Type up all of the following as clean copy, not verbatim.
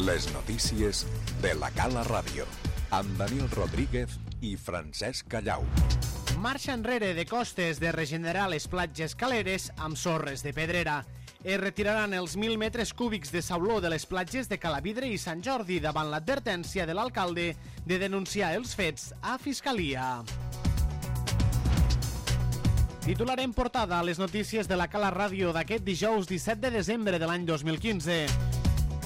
Les notícies de la Cala Ràdio, amb Daniel Rodríguez i Francesc Callau. Marxa enrere de Costes de regenerar les platges caleres amb sorres de pedrera. Es retiraran els 1.000 metres cúbics de sauló de les platges de Calavidre i Sant Jordi davant l'advertència de l'alcalde de denunciar els fets a Fiscalia. Titular en portada a les notícies de la Cala Ràdio d'aquest dijous 17 de desembre de l'any 2015.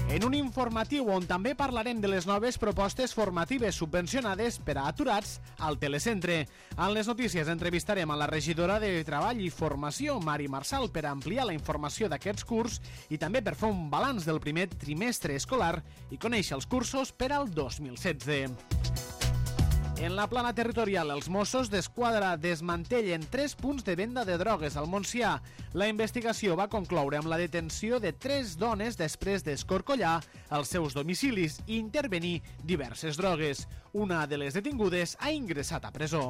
En un informatiu on també parlarem de les noves propostes formatives subvencionades per a aturats al telecentre. En les notícies entrevistarem a la regidora de Treball i Formació, Mari Marçal, per ampliar la informació d'aquests curs i també per fer un balanç del primer trimestre escolar i conèixer els cursos per al 2016. En la plana territorial, els Mossos d'Esquadra desmantellen 3 punts de venda de drogues al Montsià. La investigació va concloure amb la detenció de 3 dones després d'escorcollar els seus domicilis i intervenir diverses drogues. Una de les detingudes ha ingressat a presó.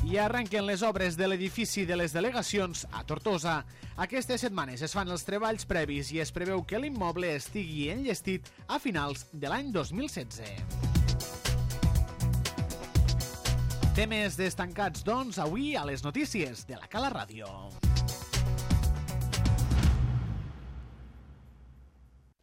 I arrenquen les obres de l'edifici de les delegacions a Tortosa. Aquestes setmanes es fan els treballs previs i es preveu que l'immoble estigui enllestit a finals de l'any 2016. Temes destacats, doncs, avui a les notícies de la Cala Ràdio.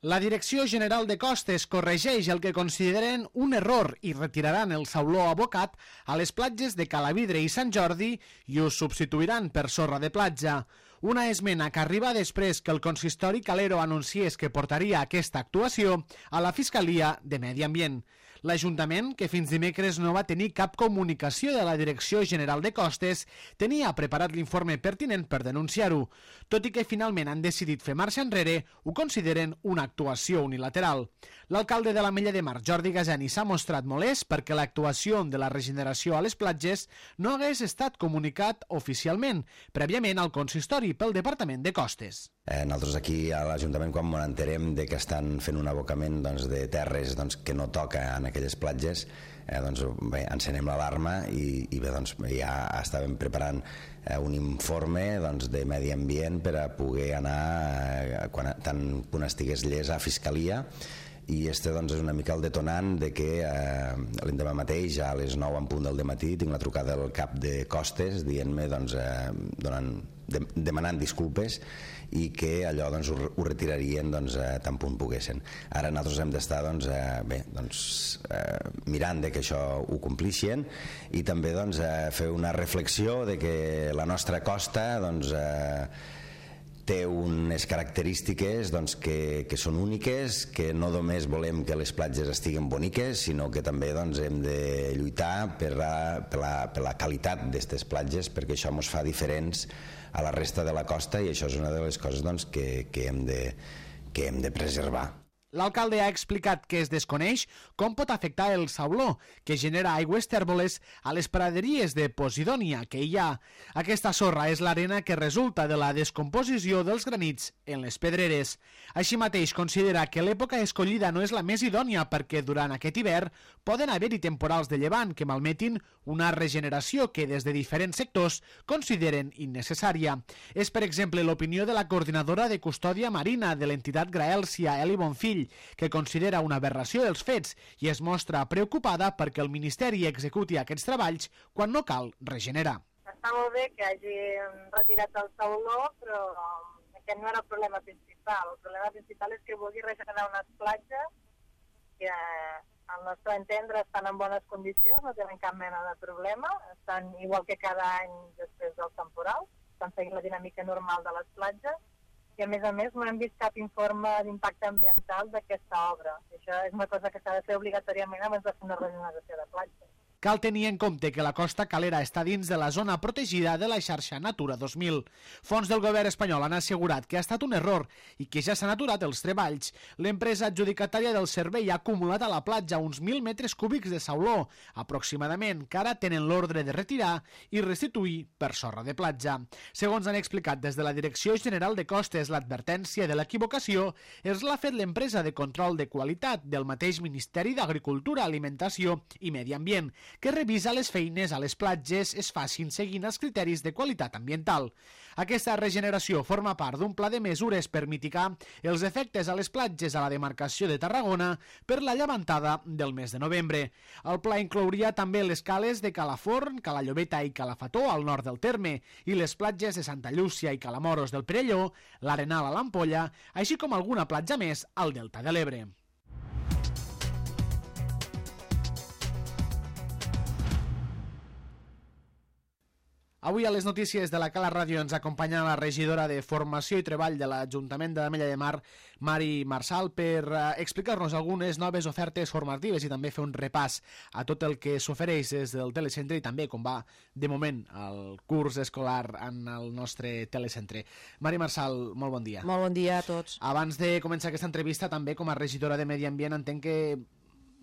La Direcció General de Costes corregeix el que consideren un error i retiraran el sauló abocat a les platges de Calavidre i Sant Jordi i ho substituiran per sorra de platja. Una esmena que arriba després que el consistori calero anunciés que portaria aquesta actuació a la Fiscalia de Medi Ambient. L'Ajuntament, que fins dimecres no va tenir cap comunicació de la Direcció General de Costes, tenia preparat l'informe pertinent per denunciar-ho. Tot i que finalment han decidit fer marxa enrere, ho consideren una actuació unilateral. L'alcalde de l'Ametlla de Mar, Jordi Gajani, s'ha mostrat molest perquè l'actuació de la regeneració a les platges no hagués estat comunicat oficialment, prèviament al consistori pel Departament de Costes. Nosaltres aquí a l'Ajuntament, quan ens enterem de que estan fent un abocament de terres que no toca en aquelles platges, encenem l'alarma i ja estàvem preparant un informe de medi ambient per a poder anar tant quan estigués llest a Fiscalia. I este és una mica el detonant de que l'endemà mateix a les 9 en punt del dematí tinc la trucada del cap de Costes dient-me, demanant disculpes i que allò ho retirarien tan punt poguessin. Ara nosaltres hem d'estar mirant de que això ho complixin i també fer una reflexió de que la nostra costa té unes característiques que són úniques, que no només volem que les platges estiguin boniques, sinó que també hem de lluitar per la qualitat d'aquestes platges, perquè això ens fa diferents a la resta de la costa i això és una de les coses que hem de preservar. L'alcalde ha explicat que es desconeix com pot afectar el sauló, que genera aigües tèrboles a les praderies de Posidònia que hi ha. Aquesta sorra és l'arena que resulta de la descomposició dels granits en les pedreres. Així mateix considera que l'època escollida no és la més idònia perquè durant aquest hivern poden haver-hi temporals de llevant que malmetin una regeneració que des de diferents sectors consideren innecessària. És, per exemple, l'opinió de la coordinadora de custòdia marina de l'entitat Graèlcia, Eli Bonfill, que considera una aberració els fets i es mostra preocupada perquè el Ministeri executi aquests treballs quan no cal regenerar. Està molt bé que hagi retirat el sauló, però aquest no era el problema principal. El problema principal és que vulgui regenerar unes platges que al nostre entendre estan en bones condicions, no tenen cap mena de problema, estan igual que cada any després del temporal, estan seguint la dinàmica normal de les platges, i a més no hem vist cap informe d'impacte ambiental d'aquesta obra. Això és una cosa que s'ha de fer obligatòriament abans de fer una regeneració de platges. Cal tenir en compte que la costa calera està dins de la zona protegida de la xarxa Natura 2000. Fons del govern espanyol han assegurat que ha estat un error i que ja s'han aturat els treballs. L'empresa adjudicatària del servei ha acumulat a la platja uns 1.000 metres cúbics de sauló, aproximadament, que ara tenen l'ordre de retirar i restituir per sorra de platja. Segons han explicat des de la Direcció General de Costes, l'advertència de l'equivocació és l'ha fet l'empresa de control de qualitat del mateix Ministeri d'Agricultura, Alimentació i Medi Ambient, que revisa les feines a les platges es facin seguint els criteris de qualitat ambiental. Aquesta regeneració forma part d'un pla de mesures per mitigar els efectes a les platges a la demarcació de Tarragona per la llevantada del mes de novembre. El pla inclouria també les cales de Calaforn, Cala Llobeta i Calafató al nord del terme i les platges de Santa Llúcia i Calamoros del Perelló, l'Arenal a l'Ampolla, així com alguna platja més al Delta de l'Ebre. Avui a les notícies de la Cala Ràdio ens acompanya la regidora de Formació i Treball de l'Ajuntament de l'Ametlla de Mar, Mari Marsal, per explicar-nos algunes noves ofertes formatives i també fer un repàs a tot el que s'ofereix des del telecentre i també com va, de moment, el curs escolar en el nostre telecentre. Mari Marsal, molt bon dia. Molt bon dia a tots. Abans de començar aquesta entrevista, també com a regidora de Medi Ambient, entenc que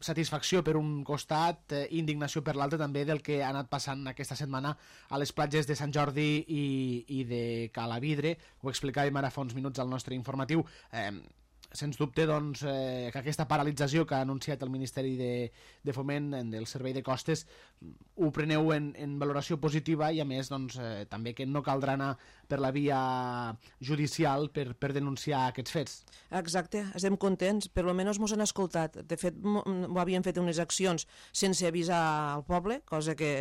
satisfacció per un costat, indignació per l'altre també del que ha anat passant aquesta setmana a les platges de Sant Jordi i de Calavidre. Ho explicàvem ara fa uns minuts al nostre informatiu. Sens dubte, doncs, que aquesta paralització que ha anunciat el Ministeri de Foment del Servei de Costes ho preneu en valoració positiva i, a més, doncs, també que no caldrà anar per la via judicial per denunciar aquests fets. Exacte, estem contents, per almenys ens han escoltat. De fet, ho havien fet unes accions sense avisar al poble, cosa que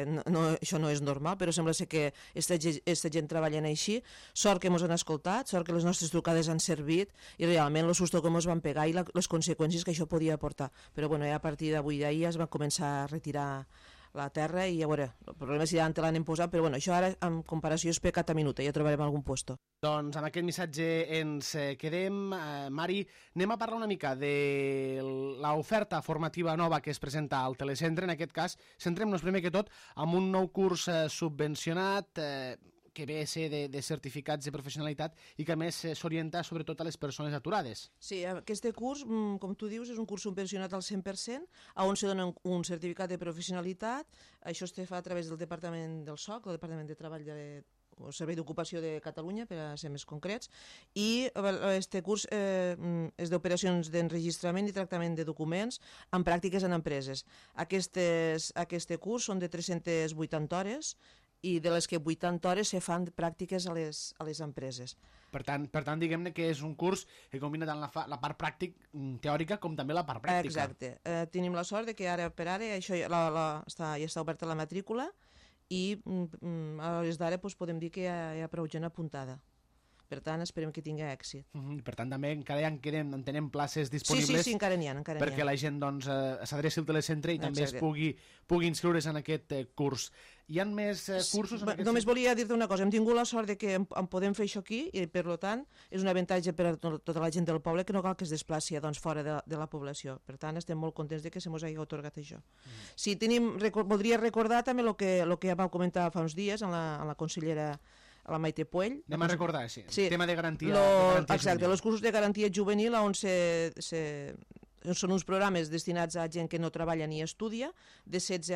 això no és normal, però sembla ser que aquesta gent treballen així. Sort que ens han escoltat, sort que les nostres trucades han servit i realment el susto com ens van pegar i les conseqüències que això podia portar. Però bueno, ja a partir d'avui d'ahir es van començar a retirar la terra i a veure, el problema és si ja l'han posat, però bueno, això ara en comparació és pecat a minuta, ja trobarem algun puesto. Doncs amb aquest missatge ens quedem. Mari, anem a parlar una mica de l'oferta formativa nova que es presenta al telecentre. En aquest cas, centrem-nos primer que tot amb un nou curs subvencionat que ve a ser de certificats de professionalitat i que a més s'orienta sobretot a les persones aturades. Sí, aquest curs, com tu dius, és un curs subvencionat al 100%, on se dona un certificat de professionalitat. Això es fa a través del Departament del SOC, el Departament de Treball o Servei d'Ocupació de Catalunya, per a ser més concrets, i aquest curs és d'operacions d'enregistrament i tractament de documents amb pràctiques en empreses. Aquest curs són de 380 hores i de les que 80 hores se fan pràctiques a les empreses. Per tant, diguem-ne que és un curs que combina tant la part teòrica com també la part pràctica. Exacte. Tenim la sort de que ara per ara això ja està oberta la matrícula i a l'hores d'ara podem dir que hi ha prou gent apuntada. Per tant, esperem que tingui èxit. Per tant, també encara ja entenem places disponibles. Sí, encara n'hi ha. Perquè la gent s'adreci al telecentre i també es pugui inscriure's en aquest curs. Hi ha més cursos? Només volia dir-te una cosa. Hem tingut la sort de que en podem fer això aquí i, per tant, és un avantatge per a tota la gent del poble que no cal que es desplaci fora de la població. Per tant, estem molt contents de que se mos hagi atorgat això. Sí, voldria recordar també el que ja vau comentar fa uns dies amb la consellera a la Maite Puell. Anem a recordar, sí. Tema de garantia. Exacte, els cursos de garantia juvenil on són uns programes destinats a gent que no treballa ni estudia, de 16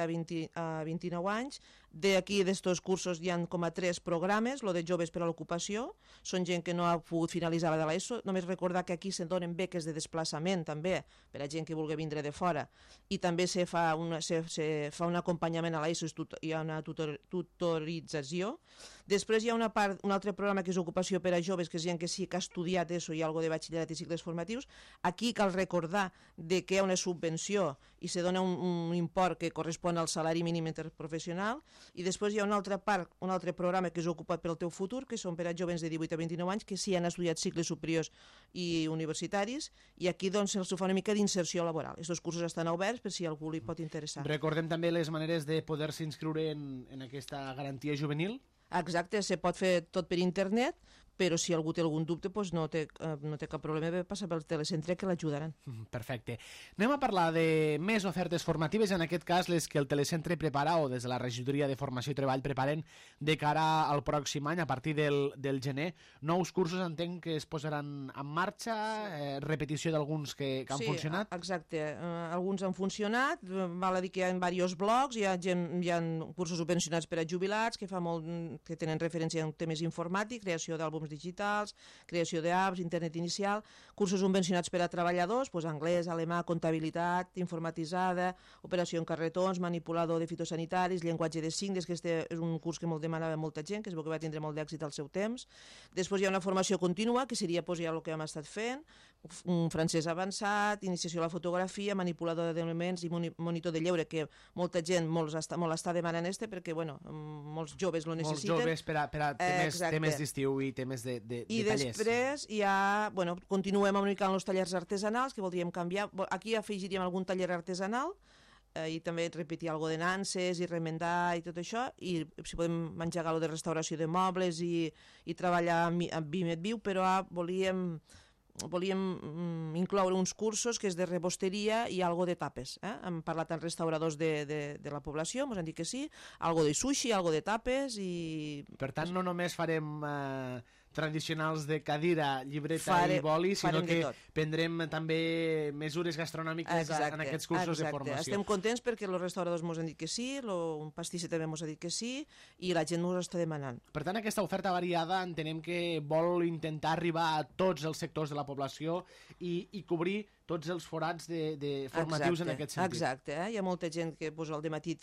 a 29 anys. D'aquí, d'estos cursos, hi ha com a 3 programes, el de joves per a l'ocupació, són gent que no ha pogut finalitzar la de l'ESO. Només recordar que aquí se donen beques de desplaçament, també, per a gent que vulgui vindre de fora, i també se fa un acompanyament a l'ESO, hi ha una tutorització. Després hi ha un altre programa que és ocupació per a joves, que és gent que sí que ha estudiat ESO i alguna de batxillerat i cicles formatius. Aquí cal recordar que hi ha una subvenció i se dona un import que correspon al salari mínim interprofessional. I després hi ha un altre programa que és Ocupa't pel teu futur, que són per a joves de 18 a 29 anys que sí han estudiat cicles superiors i universitaris, i aquí doncs se'ls fa una mica d'inserció laboral. Aquests cursos estan oberts per si algú li pot interessar. Recordem també les maneres de poder-se inscriure en aquesta garantia juvenil. Exacte, se pot fer tot per internet, però si algú té algun dubte no té cap problema de passar pel telecentre, que l'ajudaran. Perfecte. Anem a parlar de més ofertes formatives, en aquest cas les que el telecentre prepara o des de la regidoria de Formació i Treball preparen de cara al pròxim any, a partir del gener. Nous cursos entenc que es posaran en marxa, repetició d'alguns que han funcionat. Sí, exacte. Alguns han funcionat, val a dir que hi ha diversos blocs, hi ha cursos subvencionats per a jubilats que tenen referència en temes informàtics, creació d'àlbums plataformes digitals, creació d'apps, internet inicial, cursos subvencionats per a treballadors, doncs anglès, alemà, comptabilitat, informatitzada, operació en carretons, manipulador de fitosanitaris, llenguatge de signes, que este és un curs que molt demanava molta gent, que es veu que va tindre molt d'èxit al seu temps. Després hi ha una formació contínua, que seria ja el que hem estat fent, un francès avançat, iniciació a la fotografia, manipulador d'elements i monitor de lleure, que molta gent molt està demanant perquè molts joves lo necessiten. Molts joves per a temes d'estiu i temes de tallers. I després ja, continuem una mica amb els tallers artesanals, que voldríem canviar. Aquí afegiríem algun taller artesanal, i també repetir alguna de nanses i remendar i tot això, i si podem engegar allò de restauració de mobles i treballar amb Vímet Viu, però volíem incloure uns cursos que és de rebosteria i algo de tapes. Hem parlat amb restauradors de la població, ens han dit que sí, algo de sushi, algo de tapes i... Per tant, no només farem tradicionals de cadira, llibreta i boli, sinó que prendrem també mesures gastronòmiques en aquests cursos de formació. Estem contents perquè els restauradors ens han dit que sí, un pastisser també ens ha dit que sí, i la gent ens està demanant. Per tant, aquesta oferta variada entenem que vol intentar arribar a tots els sectors de la població i cobrir tots els forats formatius en aquest sentit. Exacte, hi ha molta gent que al dematí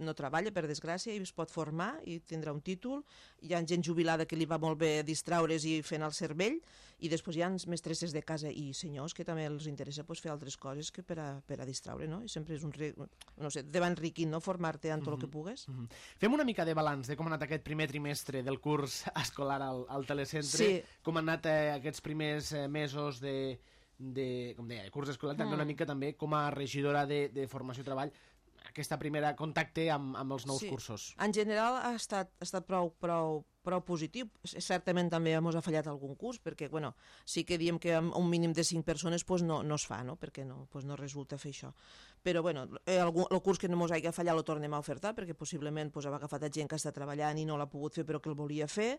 no treballa, per desgràcia, i es pot formar i tindrà un títol. Hi ha gent jubilada que li va molt bé distraure's i fent el cervell, i després hi ha mestresses de casa i senyors que també els interessa fer altres coses que per a distraure, no? I sempre és va enriquint, no?, formar-te en tot el que pugues. Fem una mica de balanç de com ha anat aquest primer trimestre del curs escolar al telecentre, com han anat aquests primers mesos com deia, curs escolar, també una mica també com a regidora de formació i treball, aquesta primera contacte amb els nous cursos. En general ha estat prou positiu. Certament també ens ha fallat algun curs, perquè sí que diem que amb un mínim de 5 persones no es fa, perquè no resulta fer això. Però el curs que no ens hagi fallat el tornem a ofertar, perquè possiblement hem agafat gent que està treballant i no l'ha pogut fer però que el volia fer,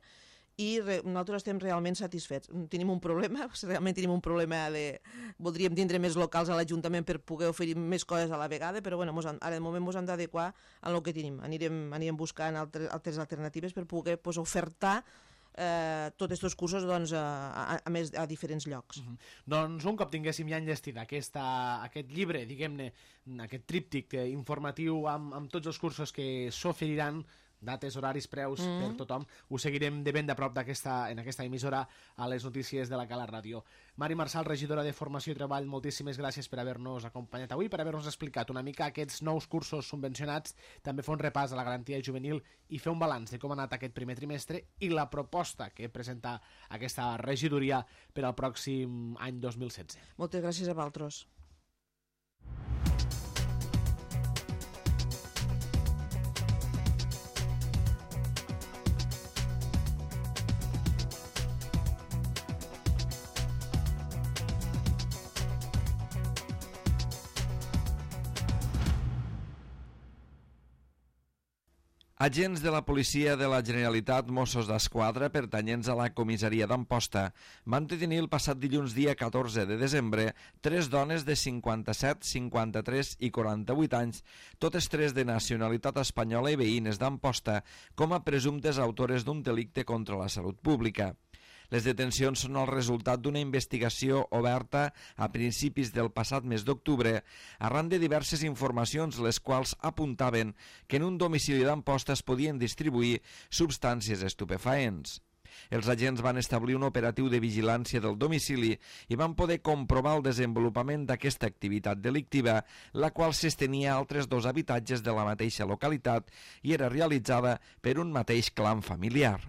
i nosaltres estem realment satisfets. Tenim un problema, voldríem tindre més locals a l'Ajuntament per poder oferir més coses a la vegada, però ara de moment ens hem d'adequar a el que tenim. Anirem buscant altres alternatives per poder ofertar tots aquests cursos a diferents llocs. Doncs un cop tinguéssim ja enllestida aquest llibre, diguem-ne, aquest tríptic informatiu amb tots els cursos que s'oferiran, dates, horaris, preus per tothom, ho seguirem de ben de prop en aquesta emissora a les notícies de la Cala Ràdio. Mari Marçal, regidora de Formació i Treball, moltíssimes gràcies per haver-nos acompanyat avui, per haver-nos explicat una mica aquests nous cursos subvencionats, també fer un repàs a la garantia juvenil i fer un balanç de com ha anat aquest primer trimestre i la proposta que presenta aquesta regidoria per al pròxim any 2016. Moltes gràcies a vosaltres. Agents de la policia de la Generalitat, Mossos d'Esquadra, pertanyents a la comissaria d'Amposta, van detenir el passat dilluns dia 14 de desembre 3 dones de 57, 53 i 48 anys, totes 3 de nacionalitat espanyola i veïnes d'Amposta, com a presumptes autores d'un delicte contra la salut pública. Les detencions són el resultat d'una investigació oberta a principis del passat mes d'octubre arran de diverses informacions les quals apuntaven que en un domicili d'Amposta es podien distribuir substàncies estupefaents. Els agents van establir un operatiu de vigilància del domicili i van poder comprovar el desenvolupament d'aquesta activitat delictiva, la qual s'estenia a altres 2 habitatges de la mateixa localitat i era realitzada per un mateix clan familiar.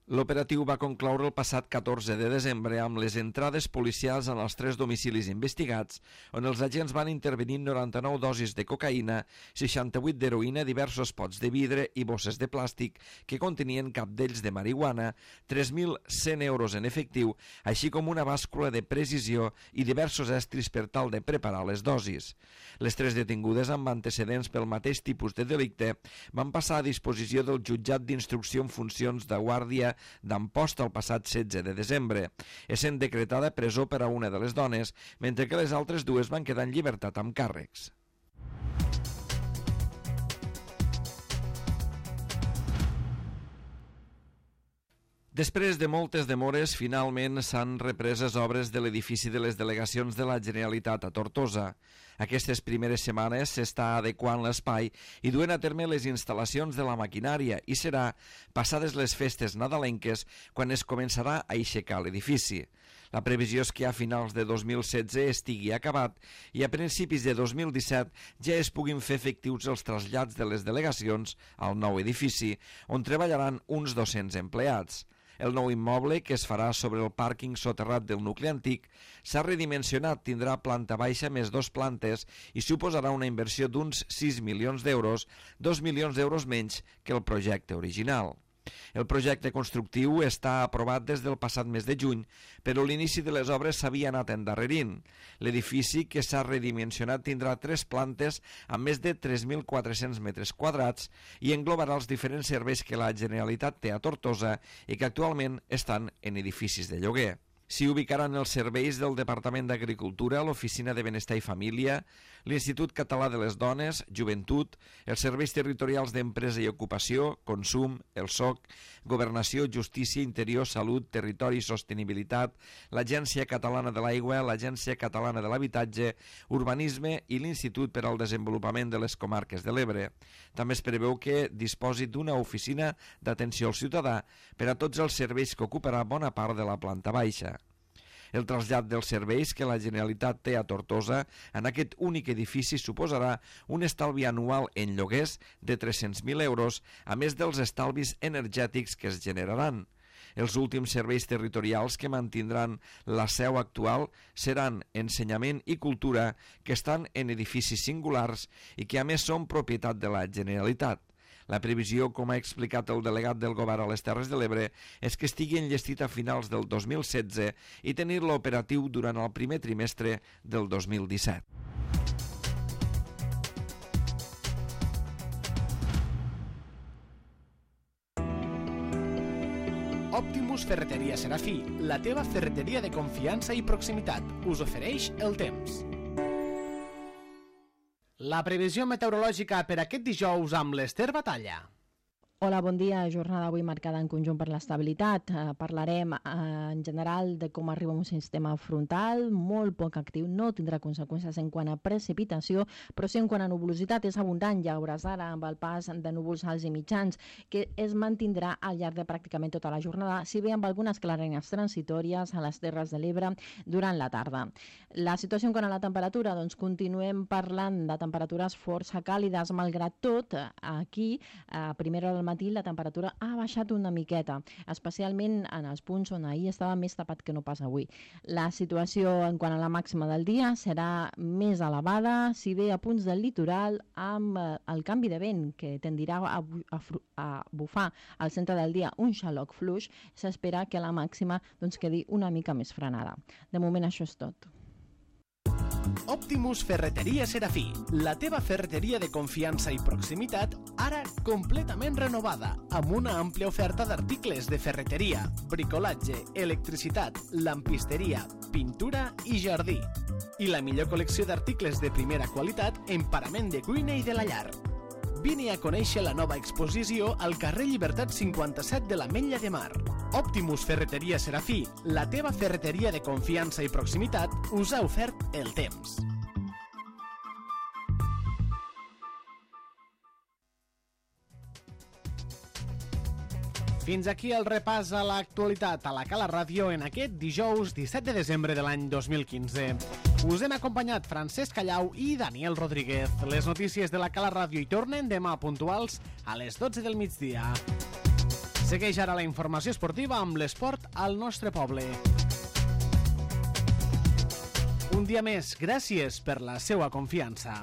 L'operatiu va concloure el passat 14 de desembre amb les entrades policials en els 3 domicilis investigats, on els agents van intervenir 99 dosis de cocaïna, 68 d'heroïna, diversos pots de vidre i bosses de plàstic que contenien capdells de marihuana, 3.100 euros en efectiu, així com una bàscula de precisió i diversos estris per tal de preparar les dosis. Les 3 detingudes amb antecedents pel mateix tipus de delicte van passar a disposició del jutjat d'instrucció en funcions de guàrdia d'Amposta el passat 16 de desembre, essent decretada presó per a una de les dones, mentre que les altres 2 van quedar en llibertat amb càrrecs. Després de moltes demores, finalment s'han reprès les obres de l'edifici de les delegacions de la Generalitat a Tortosa. Aquestes primeres setmanes s'està adequant l'espai i duent a terme les instal·lacions de la maquinària i serà passades les festes nadalenques quan es començarà a aixecar l'edifici. La previsió és que a finals de 2016 estigui acabat i a principis de 2017 ja es puguin fer efectius els trasllats de les delegacions al nou edifici, on treballaran uns 200 empleats. El nou immoble, que es farà sobre el pàrquing soterrat del nucli antic, s'ha redimensionat, tindrà planta baixa més 2 plantes i suposarà una inversió d'uns 6 milions d'euros, 2 milions d'euros menys que el projecte original. El projecte constructiu està aprovat des del passat mes de juny, però l'inici de les obres s'havia anat endarrerint. L'edifici, que s'ha redimensionat, tindrà 3 plantes amb més de 3.400 metres quadrats i englobarà els diferents serveis que la Generalitat té a Tortosa i que actualment estan en edificis de lloguer. S'hi ubicaran els serveis del Departament d'Agricultura, l'Oficina de Benestar i Família, l'Institut Català de les Dones, Joventut, els serveis territorials d'Empresa i Ocupació, Consum, el SOC, Governació, Justícia, Interior, Salut, Territori i Sostenibilitat, l'Agència Catalana de l'Aigua, l'Agència Catalana de l'Habitatge, Urbanisme i l'Institut per al Desenvolupament de les Comarques de l'Ebre. També es preveu que disposi d'una oficina d'atenció al ciutadà per a tots els serveis que ocuparà bona part de la planta baixa. El trasllat dels serveis que la Generalitat té a Tortosa en aquest únic edifici suposarà un estalvi anual en lloguers de 300.000 euros, a més dels estalvis energètics que es generaran. Els últims serveis territorials que mantindran la seu actual seran ensenyament i cultura, que estan en edificis singulars i que a més són propietat de la Generalitat. La previsió, com ha explicat el delegat del Govern a les Terres de l'Ebre, és que estigui enllestit a finals del 2016 i tenir-lo operatiu durant el primer trimestre del 2017. Optimus Ferreteria Serafí, la teva ferreteria de confiança i proximitat, us ofereix el temps. La previsió meteorològica per aquest dijous amb l'Ester Batalla. Hola, bon dia. Jornada avui marcada en conjunt per l'estabilitat. Parlarem en general de com arriba un sistema frontal molt poc actiu. No tindrà conseqüències en quant a precipitació, però sí en quant a nuvolositat. És abundant, ja veuràs ara, amb el pas de núvols alts i mitjans, que es mantindrà al llarg de pràcticament tota la jornada, si bé amb algunes clarenes transitòries a les Terres de l'Ebre durant la tarda. La situació en quant a la temperatura, doncs continuem parlant de temperatures força càlides, malgrat tot, aquí, a primera hora del matí, la temperatura ha baixat una miqueta, especialment en els punts on ahir estava més tapat que no pas avui. La situació en quant a la màxima del dia serà més elevada, si bé a punts del litoral, amb el canvi de vent que tendirà a bufar al centre del dia un xaloc fluix, s'espera que la màxima quedi una mica més frenada. De moment això és tot. Optimus Ferreteria Serafí, la teva ferreteria de confiança i proximitat, ara completament renovada, amb una àmplia oferta d'articles de ferreteria, bricolatge, electricitat, lampisteria, pintura i jardí. I la millor col·lecció d'articles de primera qualitat en parament de cuina i de la llar. Vine a conèixer la nova exposició al carrer Llibertat 57 de l'Ametlla de Mar. Optimus Ferreteria Serafí, la teva ferreteria de confiança i proximitat, us ha ofert el temps. Fins aquí el repàs a l'actualitat a la Cala Ràdio en aquest dijous 17 de desembre de l'any 2015. Us hem acompanyat Francesc Callau i Daniel Rodríguez. Les notícies de la Cala Ràdio hi tornen demà puntuals a les 12 del migdia. Segueix ara la informació esportiva amb l'esport al nostre poble. Un dia més, gràcies per la seva confiança.